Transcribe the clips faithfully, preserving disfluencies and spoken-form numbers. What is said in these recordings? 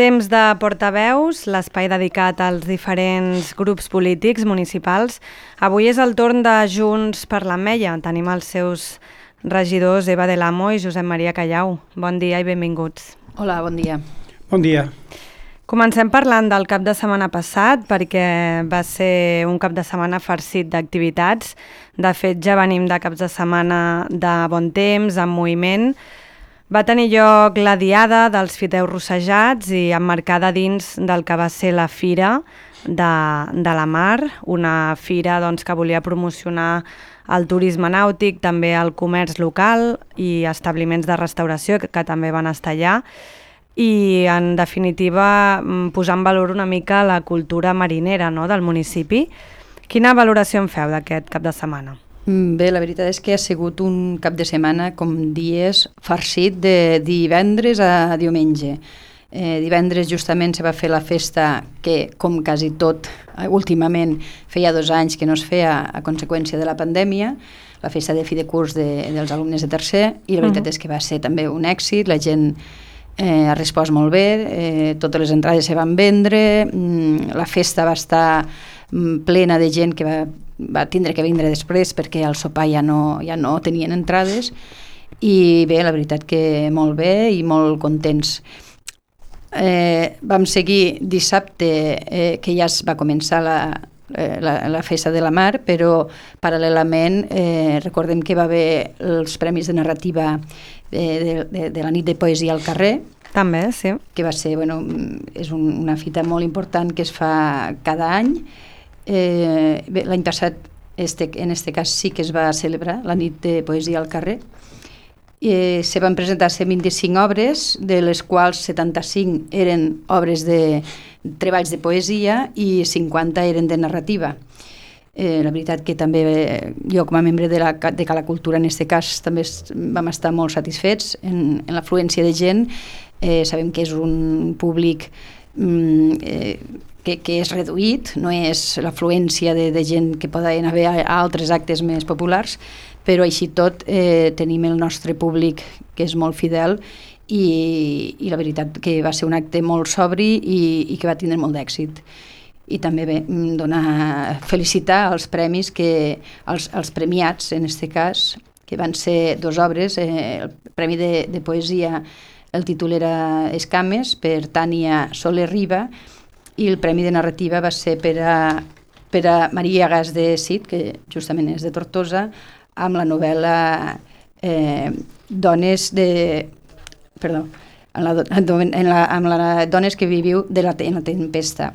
Temps de portaveus, l'espai dedicat als diferents grups polítics municipals. Avui és el torn de Junts per l'Ametlla. Tenim els seus regidors Eva Del Amo i Josep Maria Callau. Bon dia i benvinguts. Hola, bon dia. Bon dia. Comencem parlant del cap de setmana passat, perquè va ser un cap de setmana farcit d'activitats. De fet, ja venim de caps de setmana de bon temps, amb moviment. Va tenir lloc la Diada dels Fideus Rossejats i emmarcada dins del que va ser la Fira de, de la Mar, una fira doncs, que volia promocionar el turisme nàutic, també el comerç local i establiments de restauració que, que també van estar allà. I, en definitiva, posar en valor una mica la cultura marinera, no?, del municipi. Quina valoració en feu d'aquest cap de setmana? Bé, la veritat és que ha sigut un cap de setmana, com dies, farcit de divendres a diumenge. Eh, divendres justament se va fer la festa que, com quasi tot, últimament feia dos anys que no es feia a conseqüència de la pandèmia, la festa de fi de curs de, dels alumnes de tercer, i la veritat uh-huh. és que va ser també un èxit, la gent eh, ha respost molt bé, eh, totes les entrades se van vendre, mm, la festa va estar mm, plena de gent que va va tindre que vindre després perquè al sopar ja no, ja no tenien entrades, i bé, la veritat que molt bé i molt contents. Eh, vam seguir dissabte, eh, que ja es va començar la, eh, la, la festa de la Mar, però paral·lelament eh, recordem que va haver els premis de narrativa eh, de, de, de la nit de poesia al carrer, també, sí. Que va ser, bueno, és un, una fita molt important que es fa cada any. Eh, bé, l'any passat este, en aquest cas sí que es va celebrar la nit de poesia al carrer. Eh, se van presentar cent vint-i-cinc obres, de les quals setanta-cinc eren obres de treballs de poesia i cinquanta eren de narrativa. Eh, la veritat que també jo, com a membre de, la, de Cala Cultura, en aquest cas també vam estar molt satisfets en, en l'afluència de gent. Eh, sabem que és un públic mm, eh, Que, que és reduït, no és l'afluència de, de gent que poden haver a, a altres actes més populars, però així tot eh, tenim el nostre públic que és molt fidel i, i la veritat que va ser un acte molt sobri i, i que va tindre molt d'èxit. I també bé, donar, felicitar els premis, que, els, els premiats en aquest cas, que van ser dues obres, eh, el Premi de, de Poesia, el títol era Escames, per Tània Soler Riba, i el Premi de Narrativa va ser per a, per a Maria Gas de Cid, que justament és de Tortosa, amb la novel·la eh, Dones de... Perdó, en la, en la, amb la Dones que viviu de la, en la tempesta.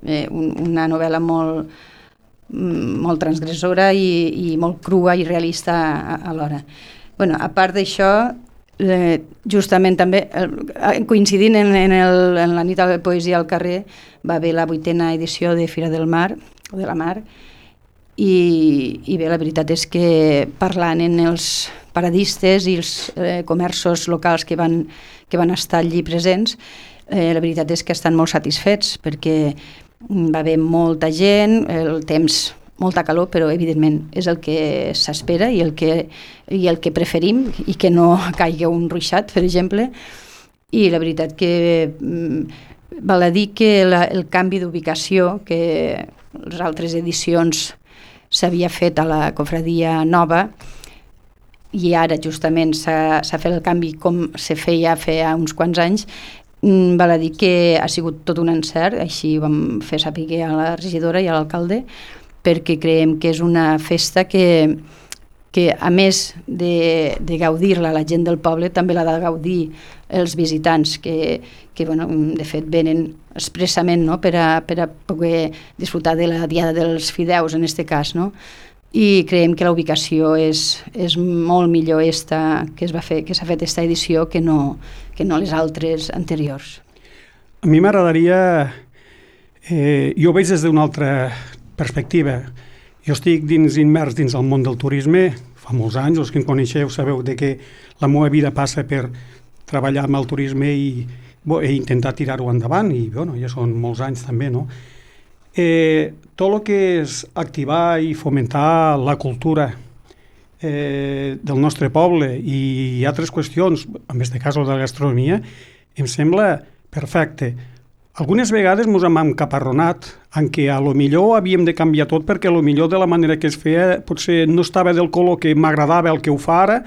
Eh, un, una novel·la molt, molt transgressora i, i molt crua i realista alhora. Bueno, a part d'això, Eh, justament també eh, coincidint en, en, el, en la nit de poesia al carrer va haver la vuitena edició de Fira del Mar o de la Mar i, i bé, la veritat és que parlant en els paradistes i els eh, comerços locals que van, que van estar allí presents, eh, la veritat és que estan molt satisfets perquè va haver molta gent, el temps molta calor, però evidentment és el que s'espera i el que, i el que preferim, i que no caigui un ruixat, per exemple. I la veritat que mm, val a dir que la, el canvi d'ubicació que les altres edicions s'havia fet a la Cofradia Nova i ara justament s'ha, s'ha fet el canvi com se feia feia uns quants anys, mm, val a dir que ha sigut tot un encert, així ho vam fer saber a la regidora i a l'alcalde, perquè creiem que és una festa que, que a més de, de gaudir-la la gent del poble, també l'ha de gaudir els visitants, que, que bueno, de fet venen expressament, no?, per, a, per a poder disfrutar de la Diada dels Fideus, en aquest cas, no? I creiem que la ubicació és, és molt millor esta, que es va fer, que s'ha fet aquesta edició que no, que no les altres anteriors. A mi m'agradaria... Eh, jo ho veig des d'una altra perspectiva. Jo estic dins, immers dins el món del turisme fa molts anys, els que em coneixeu sabeu de que la meva vida passa per treballar amb el turisme i bo, he intentat tirar-ho endavant i bueno, ja són molts anys també, no? Eh, tot el que és activar i fomentar la cultura eh, del nostre poble i altres qüestions, en aquest cas de la gastronomia, em sembla perfecte. Algunes vegades ens hem encaparronat en què a lo millor havíem de canviar tot perquè a lo millor de la manera que es feia potser no estava del color que m'agradava el que ho fa ara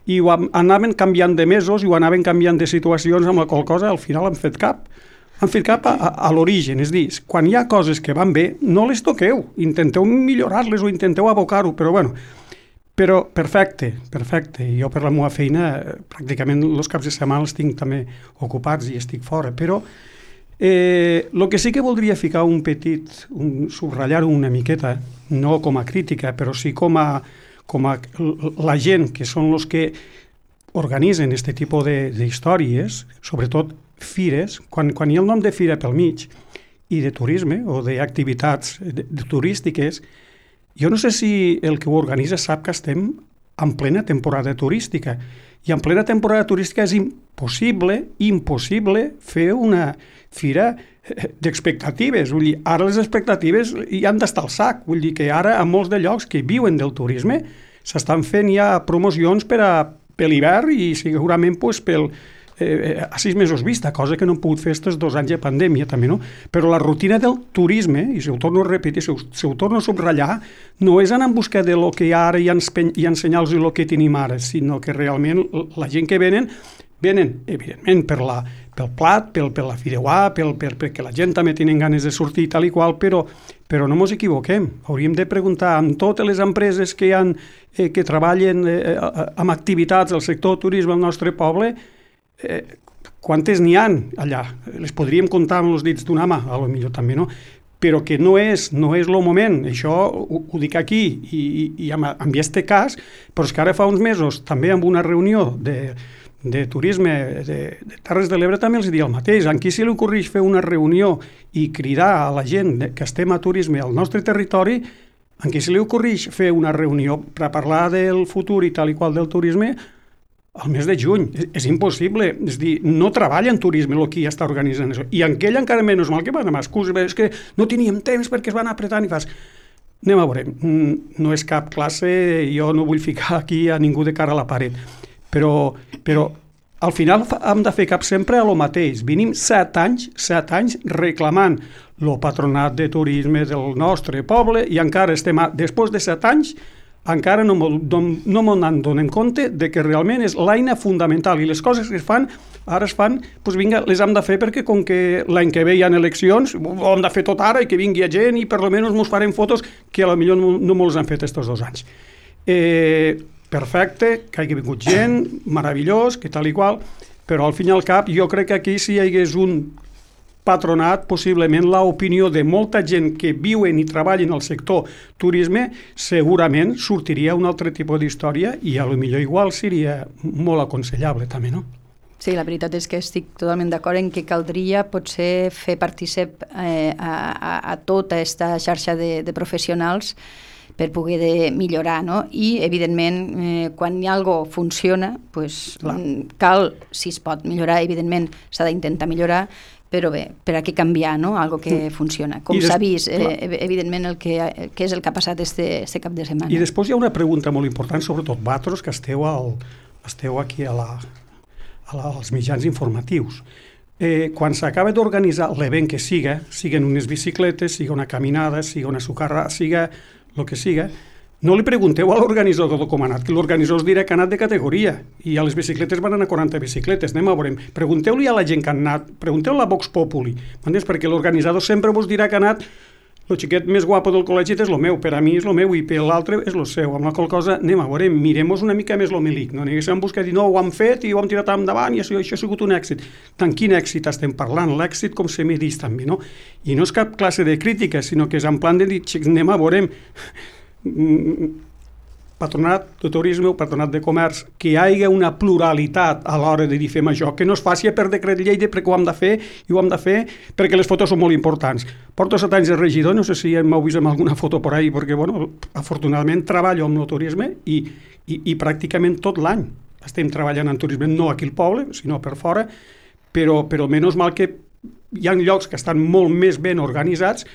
i ho anaven canviant de mesos i ho anaven canviant de situacions amb la qual cosa al final han fet cap. Han fet cap a, a, a l'origen, és a dir, quan hi ha coses que van bé, no les toqueu, intenteu millorar-les o intenteu abocar-ho, però bueno, però perfecte, perfecte. Jo per la meva feina pràcticament els caps de setmana els tinc també ocupats i estic fora, però Eh, el que sí que voldria ficar un petit, un, subratllar una miqueta, no com a crítica, però sí com a, com a la gent que són els que organitzen aquest tipus d'històries, sobretot fires, quan, quan hi ha el nom de fira pel mig i de turisme o d'activitats de, de turístiques, jo no sé si el que ho organitza sap que estem en plena temporada turística i en plena temporada turística és impossible, impossible fer una fira d'expectatives. Vull dir, ara les expectatives hi han d'estar al sac. Vull dir que ara a molts de llocs que viuen del turisme s'estan fent ja promocions per a per l'hivern i segurament pues, pel, eh, a sis mesos vista, cosa que no hem pogut fer aquests dos anys de pandèmia també, no? Però la rutina del turisme, i si ho torno a repetir, si ho, si ho torno a subratllar, no és anar en busca de lo que hi ha ara i, enspeny, i ensenyar-los el que tenim ara, sinó que realment la gent que venen venen, evidentment, per la, pel plat, pel, per la fideuà, pel, per, perquè la gent també tenen ganes de sortir i tal i qual, però, però no ens equivoquem. Hauríem de preguntar amb totes les empreses que, han, eh, que treballen eh, amb activitats del sector turisme al nostre poble, eh, quantes n'hi han allà. Les podríem comptar amb els dits d'una mà, a lo millor també, no? Però que no és, no és el moment, això ho, ho dic aquí i, i, i en, en aquest cas, però és que ara fa uns mesos també amb una reunió de de turisme de, de Terres de l'Ebre també els diria el mateix. En qui se li ocorreix fer una reunió i cridar a la gent que estem a turisme al nostre territori, en qui se li ocorreix fer una reunió per parlar del futur i tal i qual del turisme al mes de juny. És, és impossible. És dir, no treballa en turisme el que ja està organitzant això. I en aquell encara menys mal que van amb excuses, és que no teníem temps perquè es van apretant i fas... Anem a veure, no és cap classe, jo no vull ficar aquí a ningú de cara a la paret. Però, però al final hem de fer cap sempre a lo mateix. Venim set anys, set anys reclamant el patronat de turisme del nostre poble i encara estem, a, després de set anys, encara no no m'en donem compte de que realment és l'eina fundamental i les coses que es fan, ara es fan, doncs vinga, les hem de fer perquè com que l'any que ve hi ha eleccions, ho hem de fer tot ara i que vingui gent i per almenys mos farem fotos que potser no, no mos han fet aquests dos anys. Eh... perfecte, que hagi vingut gent, meravellós, que tal i qual, però al fin i al cap jo crec que aquí si hi hagués un patronat, possiblement l'opinió de molta gent que viuen i treballen al sector turisme segurament sortiria un altre tipus d'història i a lo millor igual seria molt aconsellable també, no? Sí, la veritat és que estic totalment d'acord en que caldria potser fer partícip eh, a, a, a tota aquesta xarxa de, de professionals per poder de millorar, no? I, evidentment, eh, quan hi ha algo funciona, pues, cal, si es pot millorar, evidentment s'ha d'intentar millorar, però bé, per a què canviar, no? Algo que funciona. Com s'ha vist, eh, evidentment, el que, que és el que ha passat este, este cap de setmana. I després hi ha una pregunta molt important, sobretot vosaltres, que esteu, al, esteu aquí a la, a la, als mitjans informatius. Eh, quan s'acaba d'organitzar l'event que siga, siguen unes bicicletes, siga una caminada, siga una socarrada, siga el que siga, no li pregunteu a l'organitzador com ha anat, que l'organitzador us dirà que ha anat de categoria, i a les bicicletes van anar quaranta bicicletes, anem a veure, pregunteu-li a la gent que han anat, pregunteu-li a Vox Populi, m'entens? Perquè l'organitzador sempre vos dirà que ha anat el xiquet més guapo del col·legi és el meu, per a mi és el meu i per l'altre és el seu, amb la qual cosa anem a veure, mirem-nos una mica més l'homilic, no anem a buscar dir no, ho hem fet i ho hem tirat endavant i això, això ha sigut un èxit. Tant quin èxit estem parlant? L'èxit com se medís també, no? I no és cap classe de crítica, sinó que és en plan de dir, xics, anem a veure patronat de turisme o patronat de comerç, que hi hagi una pluralitat a l'hora de dir fem això, que no es faci per decret llei de perquè ho hem de fer i ho hem de fer perquè les fotos són molt importants. Porto set anys de regidor, no sé si m'heu vist amb alguna foto per ahí, perquè, bueno, afortunadament treballo amb el turisme i, i, i pràcticament tot l'any estem treballant en turisme, no aquí al poble, sinó per fora, però, però menys mal que hi ha llocs que estan molt més ben organitzats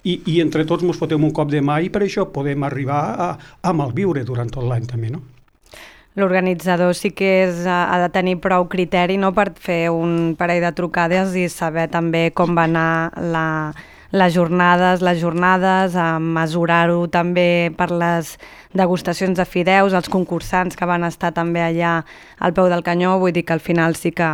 I, i entre tots ens fotem un cop de mà i per això podem arribar a, a malviure durant tot l'any també, no? l'organitzador sí que és, ha de tenir prou criteri, no?, per fer un parell de trucades i saber també com va anar la, les jornades, les jornades, a mesurar-ho també per les degustacions de fideus, els concursants que van estar també allà al peu del canyó, vull dir que al final sí que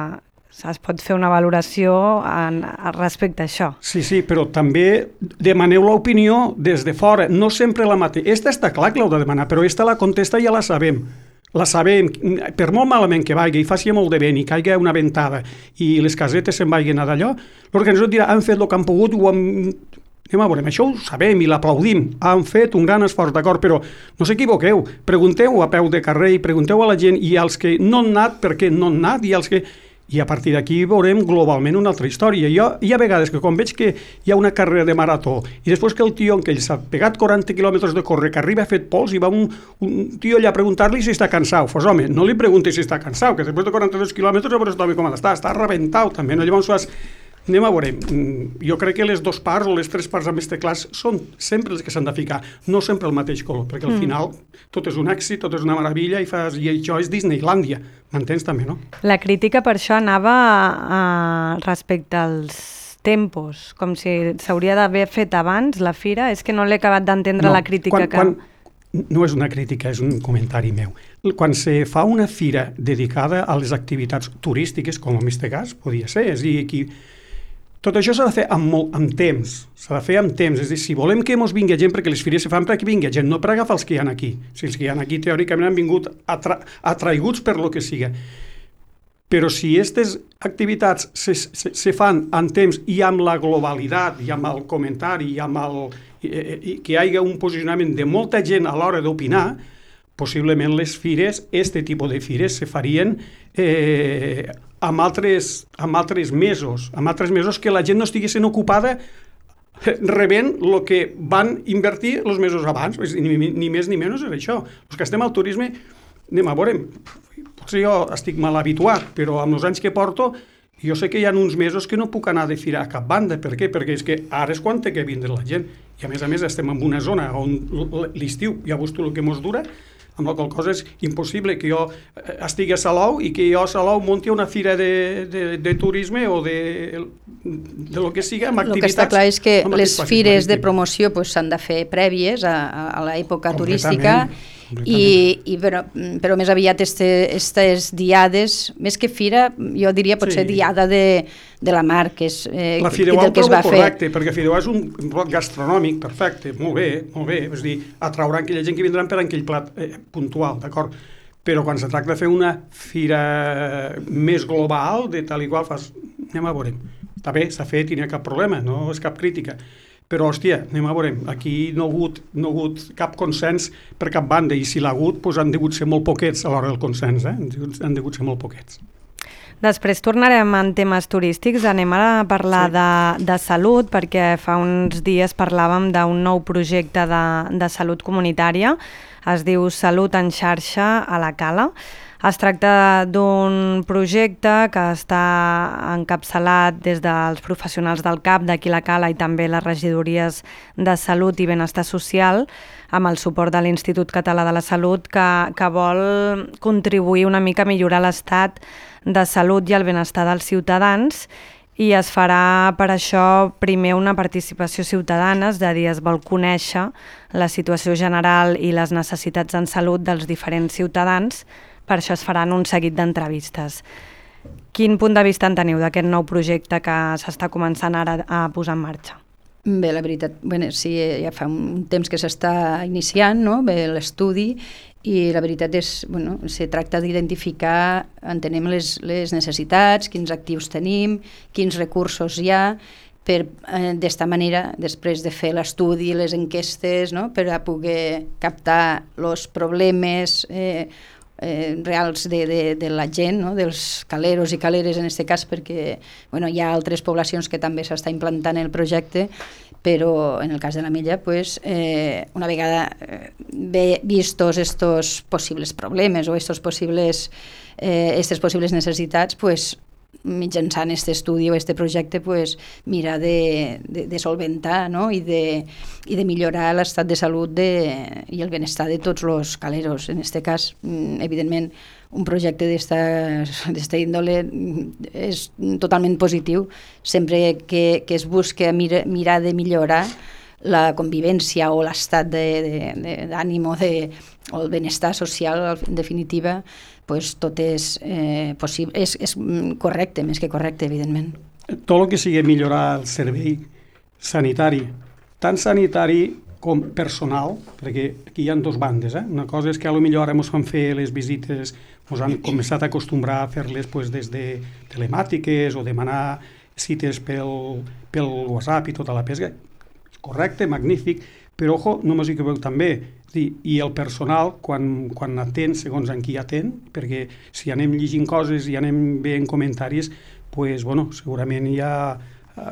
es pot fer una valoració en, respecte a això. Sí, sí, però també demaneu l'opinió des de fora, no sempre la mateixa. Esta està clar que l'heu de demanar, però esta la contesta ja la sabem. La sabem, per molt malament que vagi i faci molt de vent i caigui una ventada i les casetes se'n vagin a d'allò, l'organitzador dirà, han fet el que han pogut, ho han... anem a veure, això ho sabem i l'aplaudim, han fet un gran esforç, d'acord, però no s'equivoqueu, pregunteu a peu de carrer i pregunteu a la gent i als que no han anat, per què no han anat, i als que... I a partir d'aquí veurem globalment una altra història. Jo, hi ha vegades que quan veig que hi ha una carrera de marató i després que el tio, que ell s'ha pegat quaranta quilòmetres de córrer, que arriba fet pols i va un, un tio allà a preguntar-li si està cansat. Pues home, no li preguntis si està cansat, que després de quaranta-dos quilòmetres a veure està bé com està, està rebentat també, no? Llavors has... Anem a veure, jo crec que les dues parts o les tres parts amb este clars són sempre les que s'han de ficar, no sempre el mateix color, perquè al final tot és un èxit, tot és una meravella i, fas, i això és Disneylàndia, m'entens també, no? La crítica per això anava a, respecte als tempos, com si s'hauria d'haver fet abans la fira, és que no l'he acabat d'entendre no, la crítica quan, que... Quan... No és una crítica, és un comentari meu. Quan se fa una fira dedicada a les activitats turístiques, com en aquest cas, podia ser, és a dir, aquí... Tot això s'ha de fer amb, molt, amb temps, s'ha de fer amb temps, és a dir, si volem que ens vingui gent, perquè les fires se fan perquè vingui gent, no per agafar els que hi ha aquí. Si els que hi ha aquí teòricament han vingut atra atraiguts per lo que siga. Però si aquestes activitats se, se, se fan amb temps i amb la globalitat, i amb el comentari, i amb el, i, i, que hi hagi un posicionament de molta gent a l'hora d'opinar, possiblement les fires, este tipus de fires, se farien... Eh, amb altres, amb altres mesos, amb altres mesos que la gent no estigui sent ocupada rebent el que van invertir els mesos abans, ni, ni més ni menys és això. Els que estem al turisme, anem a veure, potser jo estic mal habituat, però amb els anys que porto, jo sé que hi ha uns mesos que no puc anar de fira a cap banda. Per què? Perquè és que ara és quan té que vindre la gent. I a més a més estem en una zona on l'estiu, ja veus tu el que mos dura, amb la qual cosa és impossible que jo estigui a Salou i que jo a Salou munti una fira de, de, de turisme o de, de lo que siga amb activitats. El que està clar és que les fires de promoció s'han de fer prèvies a, a l'època turística i, i però, però més aviat aquestes diades, més que fira, jo diria potser sí. diada de, de la mar, que és eh, la Fideuà ho trobo correcte, perquè Fideuà és un bloc gastronòmic perfecte, molt bé, molt bé, és a dir, atraurà aquella gent que vindran per aquell plat eh, puntual, d'acord? Però quan se tracta de fer una fira més global, de tal i qual, fas, anem a veure, està bé, s'ha fet i no hi ha cap problema, no és cap crítica. Però, hòstia, anem a veure, aquí no ha hagut, no ha hagut cap consens per cap banda, i si l'ha hagut, doncs han degut ser molt poquets a l'hora del consens, eh? Han degut ser molt poquets. Després tornarem en temes turístics, anem a parlar sí. de, de salut, perquè fa uns dies parlàvem d'un nou projecte de, de salut comunitària, es diu Salut en xarxa a la Cala. Es tracta d'un projecte que està encapçalat des dels professionals del C A P d'aquí la Cala i també les regidories de Salut i Benestar Social, amb el suport de l'Institut Català de la Salut, que, que vol contribuir una mica a millorar l'estat de salut i el benestar dels ciutadans, i es farà per això primer una participació ciutadana, és a dir, es vol conèixer la situació general i les necessitats en salut dels diferents ciutadans. Per això es faran un seguit d'entrevistes. Quin punt de vista en teniu d'aquest nou projecte que s'està començant ara a posar en marxa? Bé, la veritat, bueno, sí, ja fa un temps que s'està iniciant, no? Bé, l'estudi, i la veritat és, bueno, se tracta d'identificar, entenem les, les necessitats, quins actius tenim, quins recursos hi ha, per eh, d'esta manera, després de fer l'estudi, les enquestes, no? Per a poder captar els problemes eh, Eh, reals de, de, de la gent, no? Dels caleros i caleres en aquest cas, perquè bueno, hi ha altres poblacions que també s'està implantant el projecte, però en el cas de la Mella, pues, eh, una vegada eh, vistos estos possibles problemes o estos possibles, eh, estes possibles necessitats, pues, mitjançant aquest estudi o aquest projecte, pues, mirar de, de, de solventar, no? I, de, i de millorar l'estat de salut de, i el benestar de tots els caleros. En aquest cas, evidentment, un projecte d'esta índole és totalment positiu, sempre que, que es busca mira, mirar de millorar la convivència o l'estat d'ànim o, de, o el benestar social, en definitiva, pues, tot és, eh, possible, és, és correcte, més que correcte, evidentment. Tot el que sigui millorar el servei sanitari, tant sanitari com personal, perquè aquí hi ha dues bandes. Eh? Una cosa és que potser ara ens fan fer les visites, ens han començat a acostumbrar a fer-les pues, des de telemàtiques o demanar cites pel, pel WhatsApp i tota la pesca. Correcte, magnífic, però ojo, no m'ho equivoqueu també, i el personal, quan, quan atén, segons en qui atén, perquè si anem llegint coses i anem veient comentaris, pues, bueno, segurament hi ha,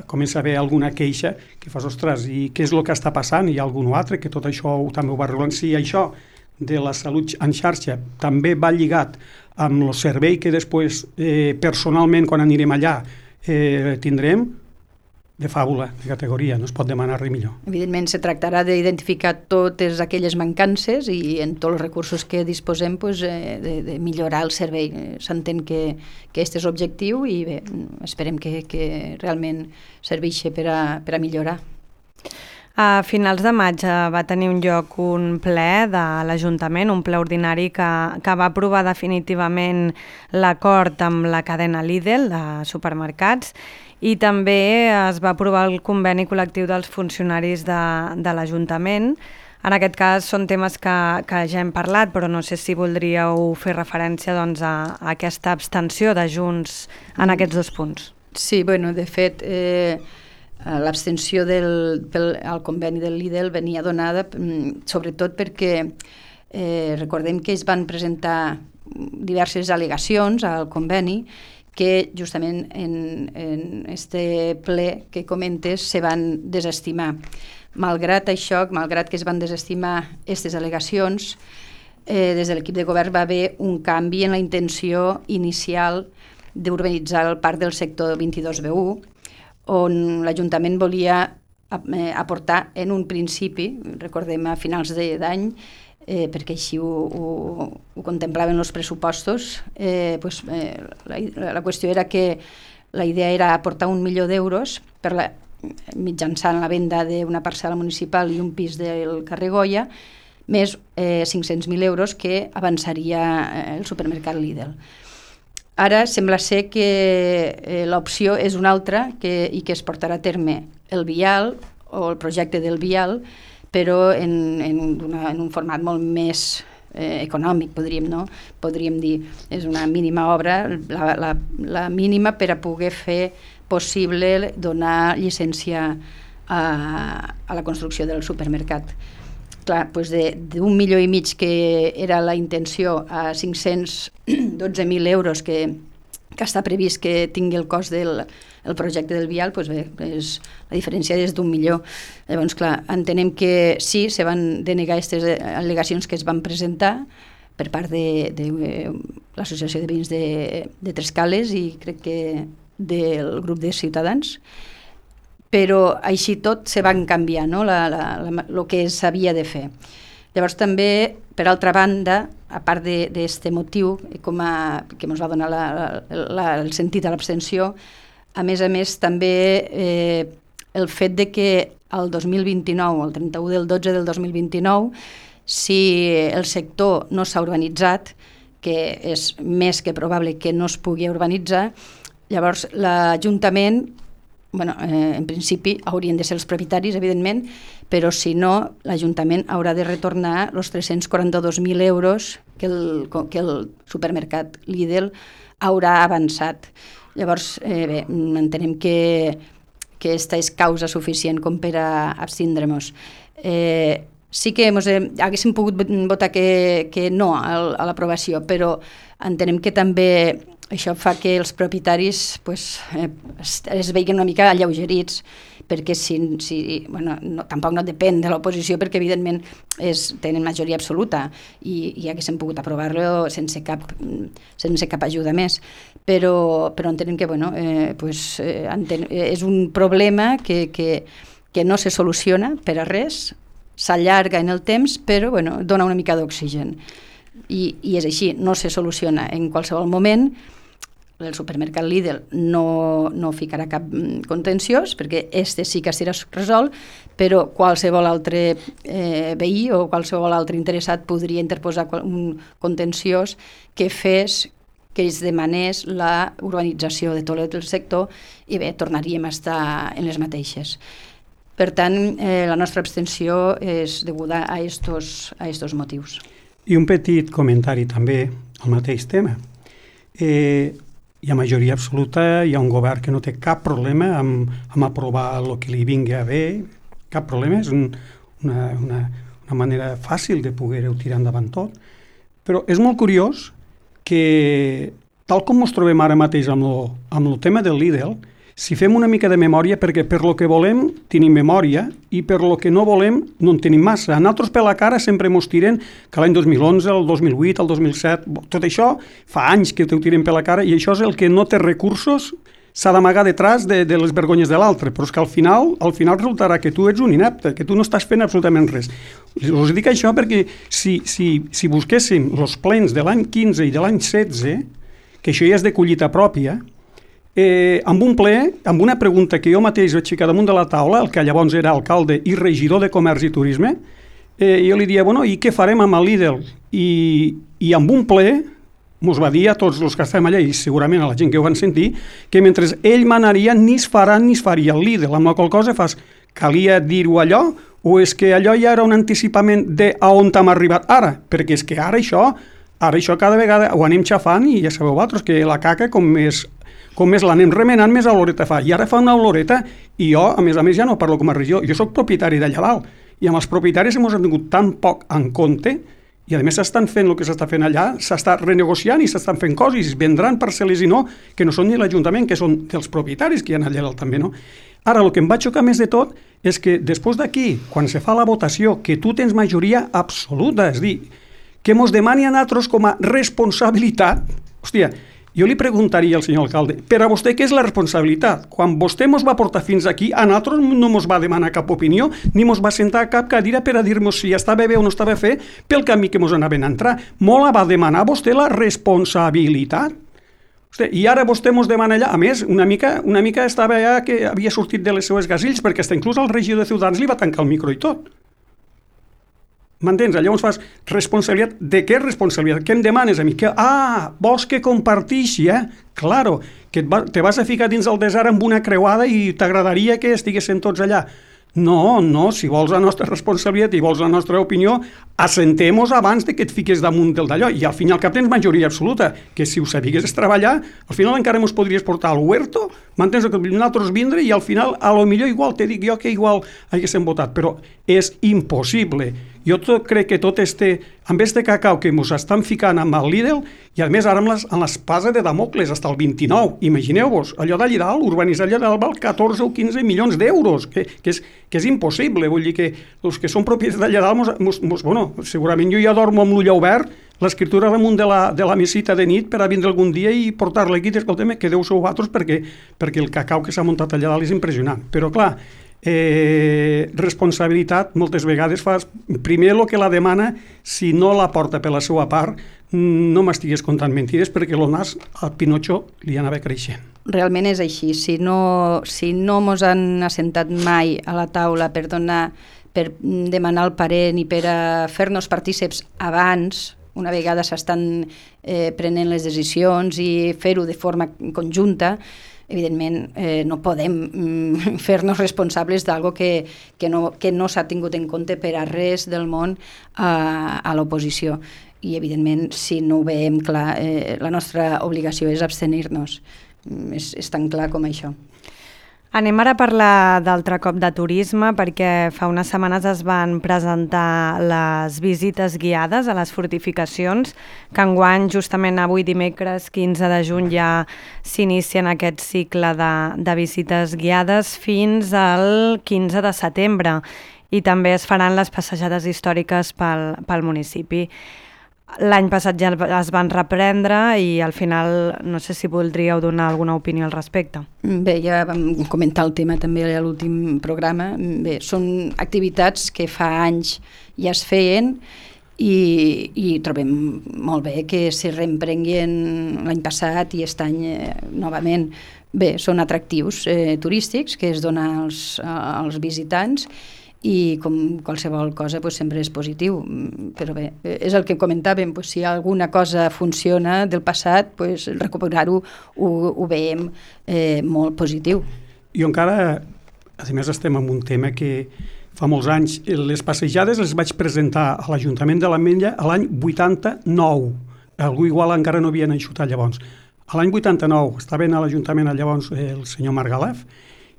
comença a haver alguna queixa que fas, ostres, i què és el que està passant? Hi ha algun altre que tot això també ho va regulant? Si això de la salut en xarxa també va lligat amb el servei que després eh, personalment quan anirem allà eh, tindrem, de fàbula, de categoria, no es pot demanar res millor. Evidentment, se tractarà d'identificar totes aquelles mancances i en tots els recursos que disposem pues, eh, de, de millorar el servei. S'entén que, que aquest és l'objectiu i bé, esperem que, que realment serveixi per a, per a millorar. A finals de maig va tenir un lloc un ple de l'Ajuntament, un ple ordinari que, que va aprovar definitivament l'acord amb la cadena Lidl de supermercats i també es va aprovar el conveni col·lectiu dels funcionaris de, de l'Ajuntament. En aquest cas són temes que, que ja hem parlat, però no sé si voldríeu fer referència doncs, a, a aquesta abstenció de Junts en aquests dos punts. Sí, bueno, de fet, eh, l'abstenció del, pel, al conveni del Lidl venia donada sobretot perquè eh, recordem que es van presentar diverses al·legacions al conveni que justament en, en este ple que comentes se van desestimar. Malgrat això, malgrat que es van desestimar aquestes al·legacions, eh, des de l'equip de govern va haver un canvi en la intenció inicial d'urbanitzar el parc del sector vint-i-dos B u, on l'Ajuntament volia aportar en un principi, recordem a finals d'any, eh, perquè així ho, ho, ho contemplaven els pressupostos, eh, pues, eh, la, la qüestió era que la idea era aportar un milió d'euros per la, mitjançant la venda d'una parcel·la municipal i un pis del carrer Goya, més eh, cinc-cents mil euros que avançaria el supermercat Lidl. Ara sembla ser que eh, l'opció és una altra que, i que es portarà a terme el vial o el projecte del vial, però en, en, una, en un format molt més eh, econòmic, podríem, no? podríem dir. És una mínima obra, la, la, la mínima per a poder fer possible donar llicència a, a la construcció del supermercat. Clar, doncs d'un milió i mig que era la intenció a cinc-cents dotze mil euros que, que està previst que tingui el cost del el projecte del vial, doncs bé, és, la diferència és d'un milió. Llavors, clar, entenem que sí, se van denegar aquestes al·legacions que es van presentar per part de, de l'Associació de Veïns de, de Trescales i crec que del grup de Ciutadans, però així tot se van canviar, no? la, la, la, el que s'havia de fer. Llavors també, per altra banda, a part d'aquest motiu com a, que ens va donar la, la, el sentit a l'abstenció, a més a més també eh, el fet de que el dos mil vint-i-nou, el trenta-u del dotze del dos mil vint-i-nou, si el sector no s'ha urbanitzat, que és més que probable que no es pugui urbanitzar, llavors l'Ajuntament, bueno, eh, en principi haurien de ser els propietaris, evidentment, però si no, l'Ajuntament haurà de retornar els tres-cents quaranta-dos mil euros que el, que el supermercat Lidl haurà avançat. Llavors, eh, bé, entenem que, que aquesta és causa suficient com per a abstindre-nos. Eh, sí que mos, eh, haguéssim pogut votar que, que no a, a l'aprovació, però entenem que també això fa que els propietaris pues, eh, es, es veiguin una mica alleugerits, perquè si, si, bueno, no, tampoc no depèn de l'oposició, perquè evidentment és, tenen majoria absoluta i, i haguéssim pogut aprovar-lo sense cap, sense cap ajuda més. Però, però entenem que bueno, eh, pues, eh, enten, és un problema que, que, que no se soluciona per a res, s'allarga en el temps, però bueno, dona una mica d'oxigen. I, I és així, no se soluciona en qualsevol moment. El supermercat Lidl no, no ficarà cap contenciós, perquè este sí que serà resolt, però qualsevol altre eh, veí o qualsevol altre interessat podria interposar un contenciós que fes que es demanés la urbanització de tot el sector i bé, tornaríem a estar en les mateixes. Per tant, eh, la nostra abstenció és deguda a estos, a estos motius. I un petit comentari també al mateix tema. Eh, hi ha majoria absoluta, hi ha un govern que no té cap problema amb, amb aprovar el que li vingui a bé, cap problema, és un, una, una, una manera fàcil de poder-ho tirar endavant tot, però és molt curiós que, tal com ens trobem ara mateix amb el, amb el tema del Lidl, si fem una mica de memòria, perquè per lo que volem tenim memòria i per lo que no volem no en tenim massa. A nosaltres per la cara sempre ens tiren que l'any dos mil onze, el dos mil vuit, el dos mil set, tot això fa anys que t'ho tiren per la cara i això és el que no té recursos, s'ha d'amagar detrás de, de les vergonyes de l'altre, però és que al final, al final resultarà que tu ets un inepte, que tu no estàs fent absolutament res. Us dic això perquè si, si, si busquéssim els plens de l'any quinze i de l'any setze, que això ja és de collita pròpia, Eh, amb un ple, amb una pregunta que jo mateix vaig ficar damunt de la taula, el que llavors era alcalde i regidor de Comerç i Turisme, eh, jo li dia, bueno, i què farem amb el Lidl? I, i amb un ple mos va dir a tots els que estem allà, i segurament a la gent que ho van sentir, que mentre ell manaria ni es farà ni es faria el Lidl, amb la qual cosa fas, calia dir-ho allò, o és que allò ja era un anticipament de a on hem arribat ara? Perquè és que ara això, ara això cada vegada ho anem xafant i ja sabeu vosaltres que la caca com més com més l'anem remenant, més oloreta fa. I ara fa una oloreta i jo, a més a més, ja no parlo com a regió. Jo soc propietari d'allà dalt i amb els propietaris hem tingut tan poc en compte i a més s'estan fent el que s'està fent allà, s'està renegociant i s'estan fent coses, i vendran parcel·les i no, que no són ni l'Ajuntament, que són dels propietaris que hi ha allà dalt també, no? Ara, el que em va xocar més de tot és que després d'aquí, quan se fa la votació, que tu tens majoria absoluta, és dir, que mos demani a nosaltres com a responsabilitat, hòstia, jo li preguntaria al senyor alcalde, per a vostè què és la responsabilitat? Quan vostè mos va portar fins aquí, a nosaltres no mos va demanar cap opinió, ni mos va sentar a cap cadira per a dir-nos si estava bé o no estava bé pel camí que mos anaven a entrar. Molt la va demanar vostè la responsabilitat. Hosti, i ara vostè mos demana allà, a més, una mica, una mica estava allà que havia sortit de les seues gasills, perquè està inclús el regidor de Ciutadans li va tancar el micro i tot. M'entens? Llavors fas responsabilitat. De què responsabilitat? Què em demanes a mi? Que, ah, vols que compartixi, eh? Claro, que et va, te vas a ficar dins el desert amb una creuada i t'agradaria que estiguessin tots allà. No, no, si vols la nostra responsabilitat i vols la nostra opinió, assentem-nos abans de que et fiques damunt del d'allò. I al final cap tens majoria absoluta, que si ho sabigues treballar, al final encara ens podries portar al huerto, m'entens? Que nosaltres vindre i al final, a lo millor igual, te dic jo que igual haguéssim votat, però és impossible. Jo tot, crec que tot este, amb este cacau que ens estan ficant amb el Lidl, i a més ara amb l'espasa de Damocles, fins al vint-i-nou, imagineu-vos, allò d'allà dalt, urbanitzar allà dalt val catorze o quinze milions d'euros, que, que, és, que és impossible, vull dir que els que són propietats d'allà dalt, mos, mos, mos, bueno, segurament jo ja dormo amb l'ull obert, l'escriptura damunt de la, de la mesita de nit per a vindre algun dia i portar-la aquí, escolta'm, quedeu-se vosaltres perquè, perquè el cacau que s'ha muntat allà dalt és impressionant. Però clar, Eh, responsabilitat moltes vegades fas primer el que la demana, si no la porta per la seva part, no m'estigues contant mentides, perquè el nas al Pinotxo li anava creixent. Realment és així. Si no, si no mos han assentat mai a la taula per donar, per demanar el parer ni per a fer-nos partíceps abans, una vegada s'estan eh, prenent les decisions i fer-ho de forma conjunta, evidentment eh, no podem mm, fer-nos responsables d'algo que, que no, que no s'ha tingut en compte per a res del món a, a l'oposició. I evidentment, si no ho veiem clar, eh, la nostra obligació és abstenir-nos. Mm, és, és tan clar com això. Anem ara a parlar d'altre cop de turisme, perquè fa unes setmanes es van presentar les visites guiades a les fortificacions, que enguany, justament avui dimecres quinze de juny, ja s'inicia en aquest cicle de, de visites guiades fins al quinze de setembre, i també es faran les passejades històriques pel, pel municipi. L'any passat ja es van reprendre i al final no sé si voldríeu donar alguna opinió al respecte. Bé, ja vam comentar el tema també a l'últim programa. Bé, són activitats que fa anys ja es feien i, i trobem molt bé que se reemprenguin l'any passat i aquest any eh, novament. Bé, són atractius eh, turístics que es donen als, als visitants i com qualsevol cosa pues, sempre és positiu, però bé, és el que comentàvem, pues, si alguna cosa funciona del passat, pues, recuperar-ho ho, ho veiem eh, molt positiu. Jo encara, a més estem en un tema que fa molts anys, les passejades les vaig presentar a l'Ajuntament de l'Ametlla a l'any vuitanta-nou, algú igual encara no havien enxutat llavors. A l'any vuitanta-nou estaven a l'Ajuntament llavors el senyor Margalef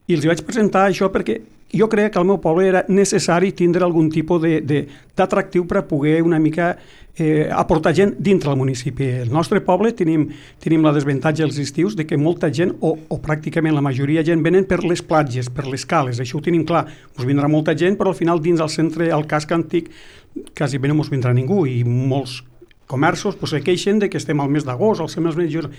i els vaig presentar això perquè jo crec que al meu poble era necessari tindre algun tipus d'atractiu per a poder una mica eh, aportar gent dintre del municipi. El nostre poble tenim, tenim la desavantatge als estius de que molta gent, o, o pràcticament la majoria de gent, venen per les platges, per les cales. Això ho tenim clar. Us vindrà molta gent, però al final dins del centre, al casc antic, quasi bé no us vindrà ningú i molts comerços pues, se queixen de que estem al mes d'agost, al mes de juny.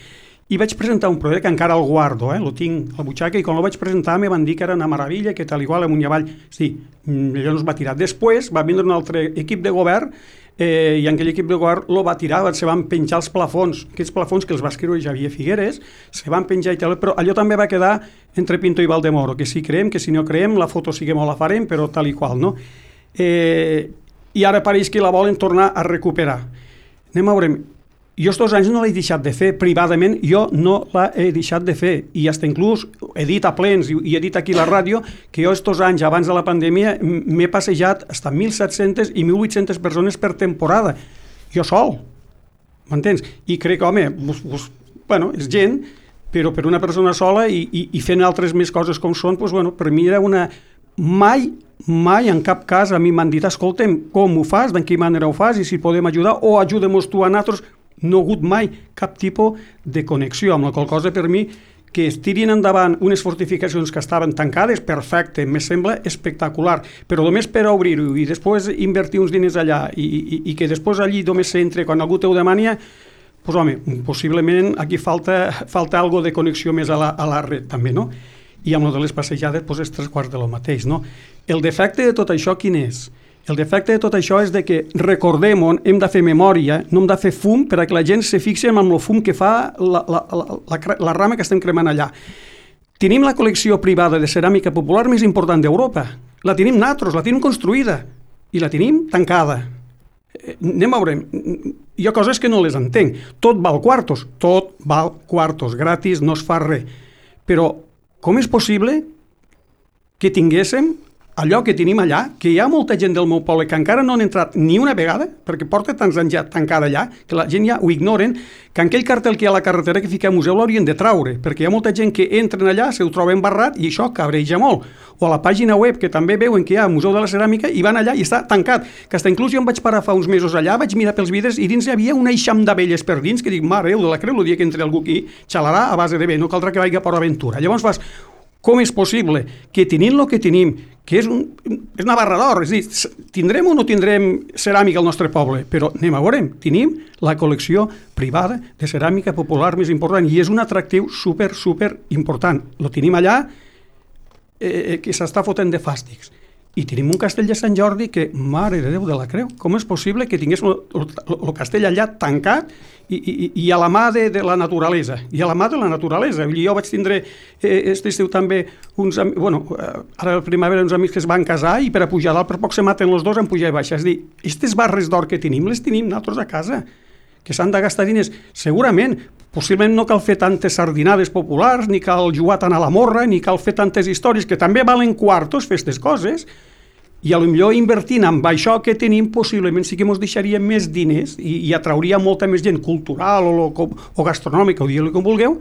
I vaig presentar un projecte que encara el guardo, eh? Lo tinc a la butxaca, i quan el vaig presentar me van dir que era una meravella, que tal igual amunt i avall. Sí, allò no es va tirar. Després va vindre un altre equip de govern eh, i aquell equip de govern lo va tirar, se van penjar els plafons, aquests plafons que els va escriure Javier Figueres, se van penjar i tal, però allò també va quedar entre Pinto i Valdemoro, que si creem, que si no creem, la foto sí que molt la farem, però tal i qual, no? Eh, I ara pareix que la volen tornar a recuperar. Anem a veure. Jo estos anys no l'he deixat de fer, privadament jo no l'he deixat de fer, i fins inclús he dit a plens i he dit aquí a la ràdio que jo estos anys abans de la pandèmia m'he passejat fins a mil set-centes i mil vuit-centes persones per temporada, jo sol, m'entens? I crec que, home, bus, bus, bueno, és gent, però per una persona sola i, i, i fent altres més coses com són, doncs, bueno, per mi era una... Mai, mai en cap cas a mi m'han dit, escolta'm, com ho fas, d'en quina manera ho fas i si podem ajudar o ajudem-nos tu a nosaltres. No ha hagut mai cap tipus de connexió, amb la qual cosa per mi que es tirin endavant unes fortificacions que estaven tancades, perfecte, me sembla espectacular, però només per a obrir-ho i després invertir uns diners allà i, i, i que després allí només s'entre quan algú te ho demania, doncs home, possiblement aquí falta, falta algo de connexió més a la, a la red també, no? I amb el de les passejades doncs és tres quarts de lo mateix, no? El defecte de tot això quin és? El defecte de tot això és de que recordem on hem de fer memòria, no hem de fer fum per a que la gent se fixi en el fum que fa la, la, la, la, la rama que estem cremant allà. Tenim la col·lecció privada de ceràmica popular més important d'Europa. La tenim nosaltres, la tenim construïda i la tenim tancada. Eh, anem a veure, hi ha coses que no les entenc. Tot val quartos, tot val quartos, gratis, no es fa res. Però com és possible que tinguéssim allò que tenim allà, que hi ha molta gent del meu poble que encara no han entrat ni una vegada, perquè porta tants anys ja tancada allà, que la gent ja ho ignoren, que aquell cartell que hi ha a la carretera que fica a museu l'haurien de traure, perquè hi ha molta gent que entren allà, se ho troben barrat i això cabreja molt. O a la pàgina web, que també veuen que hi ha Museu de la Ceràmica, i van allà i està tancat, que fins inclús jo em vaig parar fa uns mesos allà, vaig mirar pels vidres i dins hi havia un eixam d'abelles per dins, que dic, mare de la creu, el dia que entre algú aquí xalarà a base de bé, no caldrà que vagi a Port Aventura. Llavors fas, com és possible que tenint el que tenim, que és, un, és una barra d'or, és a dir, tindrem o no tindrem ceràmica al nostre poble, però anem a veure, tenim la col·lecció privada de ceràmica popular més important i és un atractiu super, super important. Lo tenim allà eh, que s'està fotent de fàstics. I tenim un castell de Sant Jordi que, mare de Déu de la Creu, com és possible que tingués el castell allà tancat i, i, i a la mà de, de la naturalesa, i a la mà de la naturalesa. Jo vaig tindre eh, este estiu també uns, bueno, ara a la primavera uns amics que es van casar i per a pujar dalt per poc se maten els dos en pujar i baixar. És a dir, aquestes barres d'or que tenim les tenim nosaltres a casa, que s'han de gastar diners. Segurament, possiblement no cal fer tantes sardinades populars, ni cal jugar tant a la morra, ni cal fer tantes històries, que també valen quartos fer aquestes coses, i potser invertint amb això que tenim, possiblement sí que ens deixaria més diners i, i atrauria molta més gent cultural o, o, o gastronòmica, o digue-li com vulgueu,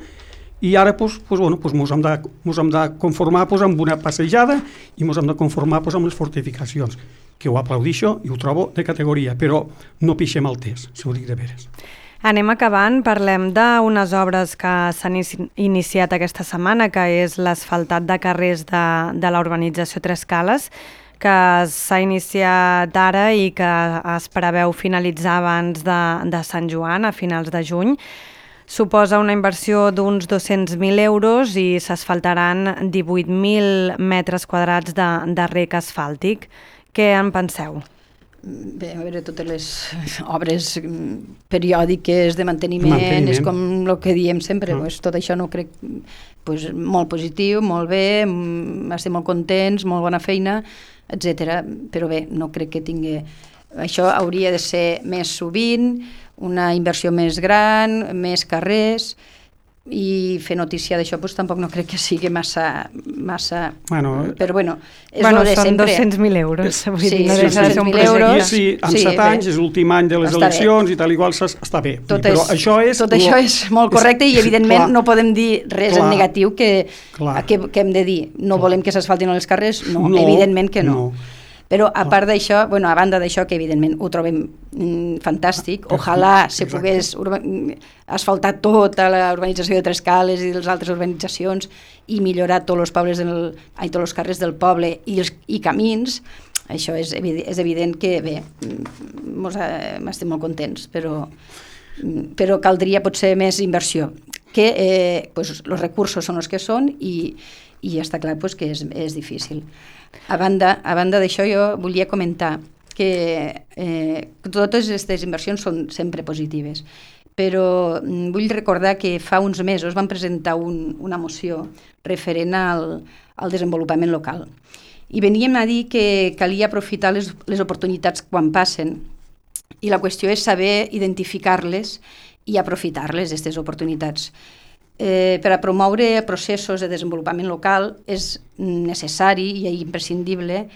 i ara pues, pues, bueno, pues, mos hem de, mos hem de conformar pues, amb una passejada i mos hem de conformar pues, amb les fortificacions, que ho aplaudixo i ho trobo de categoria, però no pixem el test, si ho dic de veres. Anem acabant, parlem d'unes obres que s'han iniciat aquesta setmana, que és l'asfaltat de carrers de, de la urbanització Tres Cales, que s'ha iniciat ara i que es preveu finalitzar abans de, de Sant Joan, a finals de juny. Suposa una inversió d'uns dos-cents mil euros i s'asfaltaran divuit mil metres quadrats de, de rec asfàltic. Què en penseu? Bé, a veure, totes les obres periòdiques de manteniment, manteniment. És com el que diem sempre, mm. pues, tot això no crec pues, molt positiu, molt bé, estem molt contents, molt bona feina, etcètera. Però bé, no crec que tingui... Això hauria de ser més sovint, una inversió més gran, més carrers, i fer notícia d'això pues, tampoc no crec que sigui massa... massa bueno, però bueno, és bueno, lo de són sempre. dos-cents mil euros. Vull sí, dir, no sí, deixa de ser un dos-cents mil euros. Sí, en sí, set bé. anys és l'últim any de les està eleccions bé. I tal igual està bé. Tot, però és, això és, tot això és molt correcte és, i evidentment clar, no podem dir res clar, en negatiu que, que, que hem de dir. No clar. Volem que s'asfaltin els carrers? No, no, evidentment que no. no. Però a part d'això, bueno, a banda d'això, que evidentment ho trobem mm, fantàstic, ojalà se pogués asfaltar tota la urbanització de Tres Cales i de les altres urbanitzacions i millorar tots els pobles del, ai, tots els carrers del poble i, els, i camins, això és evident, és evident que bé, mos, eh, estem molt contents, però, però caldria potser més inversió, que eh, pues, els recursos són els que són i, i està clar pues, que és, és difícil. A banda, a banda d'això, jo volia comentar que eh, totes aquestes inversions són sempre positives, però vull recordar que fa uns mesos van presentar un, una moció referent al, al desenvolupament local. I veníem a dir que calia aprofitar les, les oportunitats quan passen, i la qüestió és saber identificar-les i aprofitar-les, aquestes oportunitats. Eh, per a promoure processos de desenvolupament local és necessari i imprescindible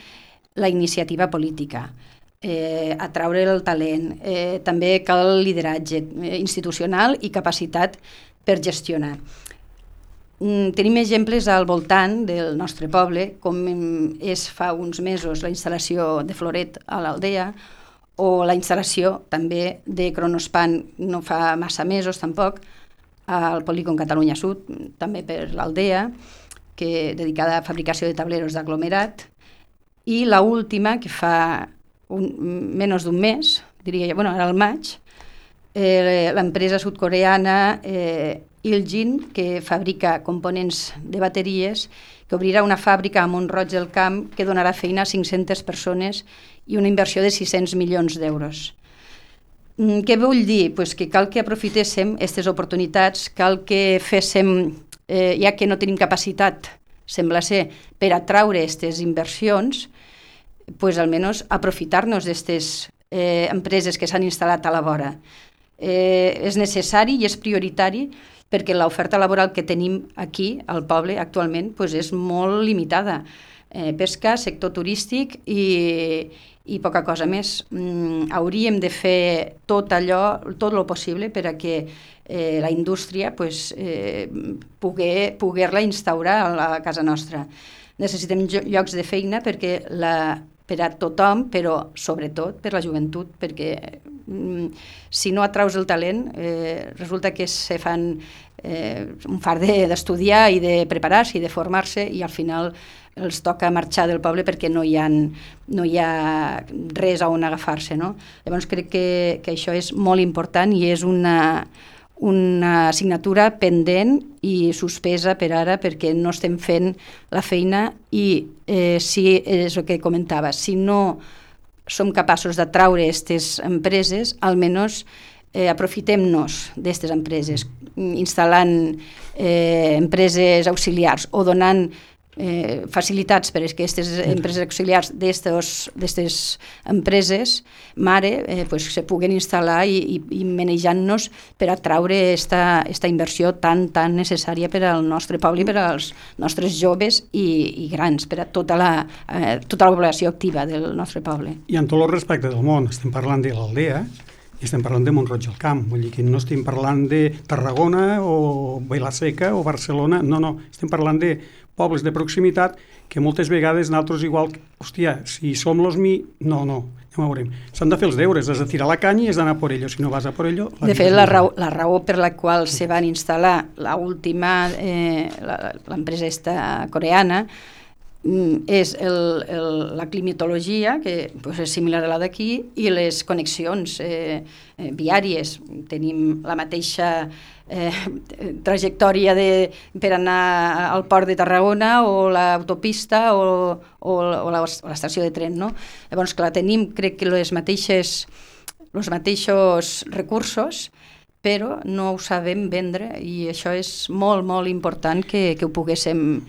la iniciativa política, eh, atraure el talent, eh, també cal lideratge eh, institucional i capacitat per gestionar. Mm, tenim exemples al voltant del nostre poble, com és fa uns mesos la instal·lació de Floret a l'Aldea, o la instal·lació també de Cronospan no fa massa mesos tampoc, al polígon Catalunya Sud, també per l'Aldea, que dedicada a fabricació de tableros d'aglomerat, i la última, que fa un, menys d'un mes, diria jo, bueno, ara al maig, eh, l'empresa sud-coreana eh, Iljin, que fabrica components de bateries, que obrirà una fàbrica a Mont-roig del Camp que donarà feina a cinc-centes persones i una inversió de sis-cents milions d'euros. Què vull dir? Pues que cal que aprofitéssim aquestes oportunitats, cal que féssim, eh, ja que no tenim capacitat, sembla ser, per atraure aquestes inversions, pues almenys aprofitar-nos d'aquestes eh, empreses que s'han instal·lat a la vora. Eh, és necessari i és prioritari perquè l'oferta laboral que tenim aquí, al poble, actualment, pues és molt limitada. Eh, pesca, sector turístic i... i poca cosa més. Mm, hauríem de fer tot allò, tot el possible per a que eh, la indústria pues, eh, poguer, poguer-la instaurar a la casa nostra. Necessitem llocs de feina perquè la, per a tothom, però sobretot per la joventut, perquè mm, si no atraus el talent, eh, resulta que se fan eh, un fart d'estudiar i de preparar-se i de formar-se i al final els toca marxar del poble perquè no hi ha, no hi ha res a on agafar-se, no? Llavors crec que, que això és molt important i és una, una assignatura pendent i suspesa per ara perquè no estem fent la feina i eh, si és el que comentava, si no som capaços d'atraure aquestes empreses, almenys eh, aprofitem-nos d'aquestes empreses, instal·lant eh, empreses auxiliars o donant Eh, facilitats per a aquestes empreses auxiliars d'aquestes empreses mare eh, pues, se puguen instal·lar i, i, i manejant-nos per atraure esta, esta inversió tan, tan necessària per al nostre poble i per als nostres joves i, i grans, per a tota la, eh, tota la població activa del nostre poble. I amb tot el respecte del món, estem parlant de l'Aldea, i estem parlant de Mont-roig del Camp, vull dir que no estem parlant de Tarragona o Vila-seca o Barcelona, no, no, estem parlant de pobles de proximitat que moltes vegades nosaltres igual, hòstia, si som los mi, no, no, ja ho veurem. S'han de fer els deures, has de tirar la canya i has d'anar por ello, si no vas a por ello... De fet, la raó, la raó per la qual se van instal·lar l'última, eh, l'empresa esta coreana, és el, el, la climatologia, que pues, és similar a la d'aquí, i les connexions eh, eh, viàries. Tenim la mateixa eh, trajectòria de, per anar al port de Tarragona o l'autopista o, o, o l'estació de tren, no? Llavors, clar, tenim, crec que les mateixes, els mateixos recursos, però no ho sabem vendre, i això és molt, molt important que, que ho poguéssim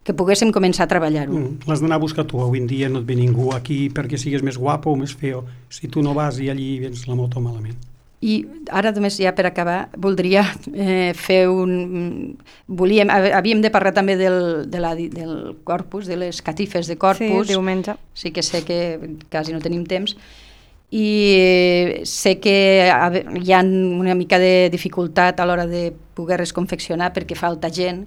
que poguéssim començar a treballar-ho. Mm, l'has d'anar a buscar tu, avui en dia no et ve ningú aquí perquè sigues més guapo o més feo. Si tu no vas i allí vens la moto malament. I ara només ja per acabar voldria eh, fer un... Volíem, havíem de parlar també del, de la, del corpus, de les catifes de corpus. Sí, diumenge. Sí que sé que quasi no tenim temps. I sé que hi ha una mica de dificultat a l'hora de poder-les confeccionar perquè falta gent,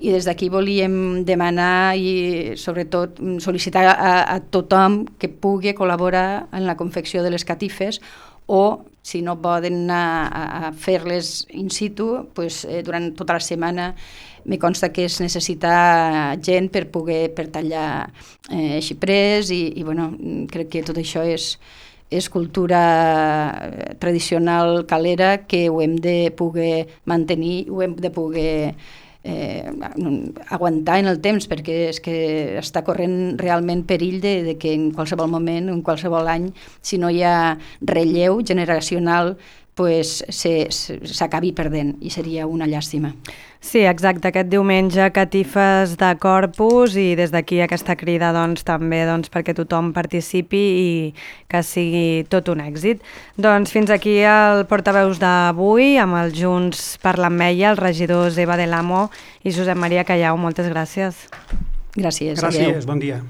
i des d'aquí volíem demanar i sobretot sol·licitar a, a tothom que pugui col·laborar en la confecció de les catifes, o si no poden anar a, a fer-les in situ, pues, eh, durant tota la setmana me consta que es necessita gent per poder per tallar eh, xiprers i, i bueno, crec que tot això és és cultura tradicional calera que ho hem de poder mantenir, ho hem de poder eh, aguantar en el temps, perquè és que està corrent realment perill de, de que en qualsevol moment, en qualsevol any, si no hi ha relleu generacional, pues s'acabi perdent, i seria una llàstima. Sí, exacte, aquest diumenge catifes de Corpus, i des d'aquí aquesta crida doncs, també doncs, perquè tothom participi i que sigui tot un èxit. Doncs fins aquí el portaveus d'avui amb el Junts per l'Ametlla, els regidors Eva del Amo i Josep Maria Callau. Moltes gràcies. Gràcies. Gràcies, bon dia.